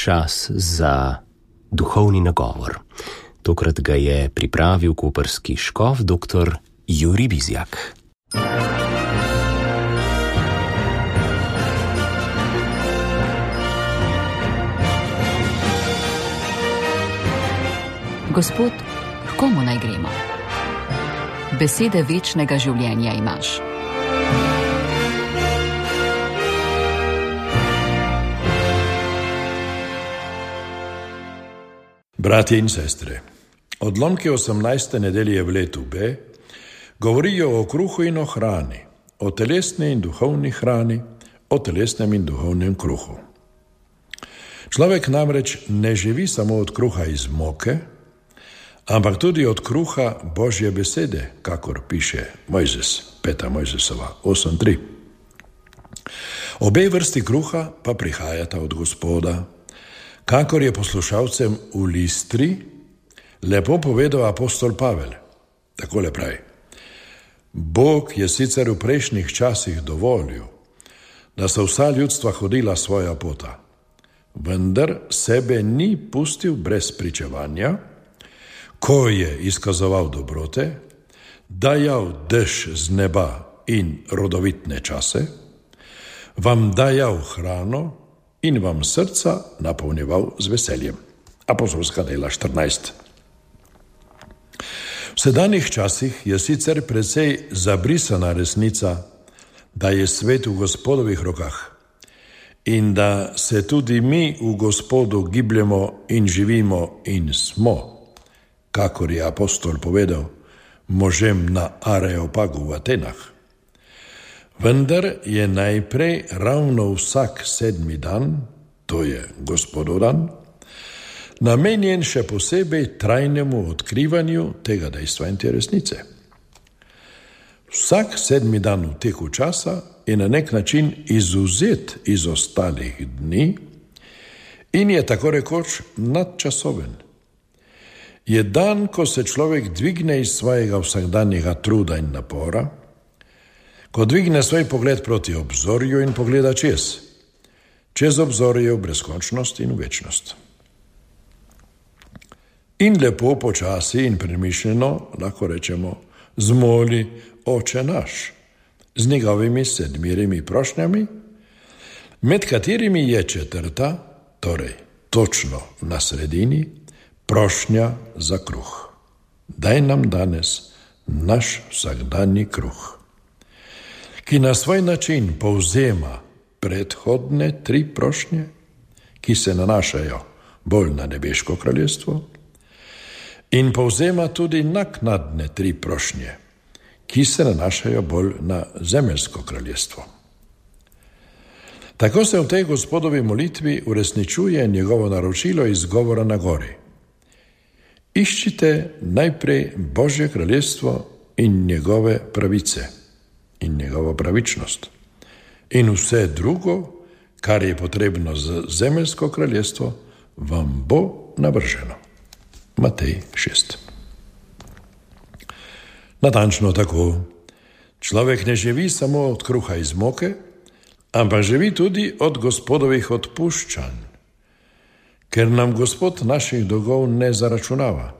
čas za duhovni nagovor. Tokrat ga je pripravil koprski škof dr. Jurij Bizjak. Gospod, h komu naj gremo? Besede večnega življenja imaš. Bratje in sestre, odlomki 18. nedelje v letu B govorijo o kruhu in o hrani, o telesni in duhovni hrani, o telesnem in duhovnem kruhu. Človek namreč ne živi samo od kruha iz moke, ampak tudi od kruha Božje besede, kakor piše Mojzes, 5. Mojzesova 8.3. Obe vrsti kruha pa prihajata od Gospoda, kakor je poslušalcem v Listri lepo povedal apostol Pavel. Takole pravi: Bog je sicer v prejšnjih časih dovolil, da so vsa ljudstva hodila svoja pota, vendar sebe ni pustil brez pričevanja, ko je izkazoval dobrote, dajal dež z neba in rodovitne čase, vam dajal hrano in vam srca napolnjeval z veseljem. Apostolska dela 14. V sedanjih časih je sicer precej zabrisana resnica, da je svet v Gospodovih rokah in da se tudi mi v Gospodu gibljemo in živimo in smo, kakor je apostol povedal možem na Areopagu v Atenah. Vendar je najprej ravno vsak 7. dan, to je Gospodov dan, namenjen še posebej trajnemu odkrivanju tega dejstva in te resnice. Vsak 7. dan v teku časa je na nek način izvzet iz ostalih dni in je tako rekoč nadčasoven. Je dan, ko se človek dvigne iz svojega vsakdanjega truda in napora, ko dvigne svoj pogled proti obzorju in pogleda čez obzorje v brezkončnost in v večnost. In lepo, počasi in premišljeno lahko rečemo: zmoli, Oče naš, z njegovimi 7 prošnjami, med katerimi je 4., torej točno na sredini, prošnja za kruh. Daj nam danes naš vsakdanji kruh, ki na svoj način povzema predhodne 3 prošnje, ki se nanašajo bolj na nebeško kraljestvo, in povzema tudi naknadne 3 prošnje, ki se nanašajo bolj na zemeljsko kraljestvo. Tako se v tej Gospodovi molitvi uresničuje njegovo naročilo iz govora na gori. Iščite najprej Božje kraljestvo in njegove pravice in njegovo pravičnost in vse drugo, kar je potrebno za zemeljsko kraljestvo, vam bo navrženo. Matej 6. Natančno tako, človek ne živi samo od kruha iz moke, ampak živi tudi od Gospodovih odpuščanj, ker nam Gospod naših dolgov ne zaračunava.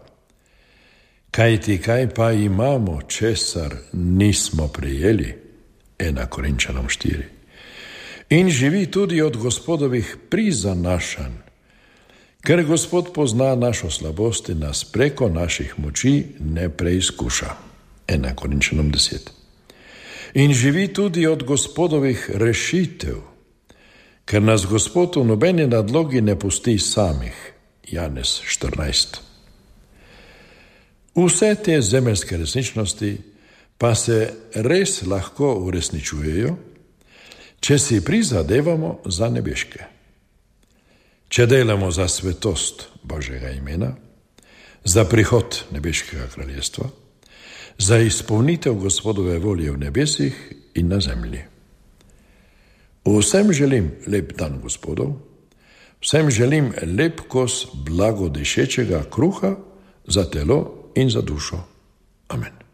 Kajti kaj pa imamo, česar nismo prijeli? 1. Korinčanom 4. In živi tudi od Gospodovih prizanašanj, ker Gospod pozna našo slabost in nas preko naših moči ne preizkuša. 1. Korinčanom 10. In živi tudi od Gospodovih rešitev, ker nas Gospod v nobeni nadlogi ne pusti samih. Janez 14. Vse te zemeljske resničnosti pa se res lahko uresničujejo, če si prizadevamo za nebeške. Če delamo za svetost Božjega imena, za prihod nebeškega kraljestva, za izpolnitev Gospodove volje v nebesih in na zemlji. Vsem želim lep dan Gospodov, vsem želim lep kos blagodišečega kruha za telo in za dušo. Amen.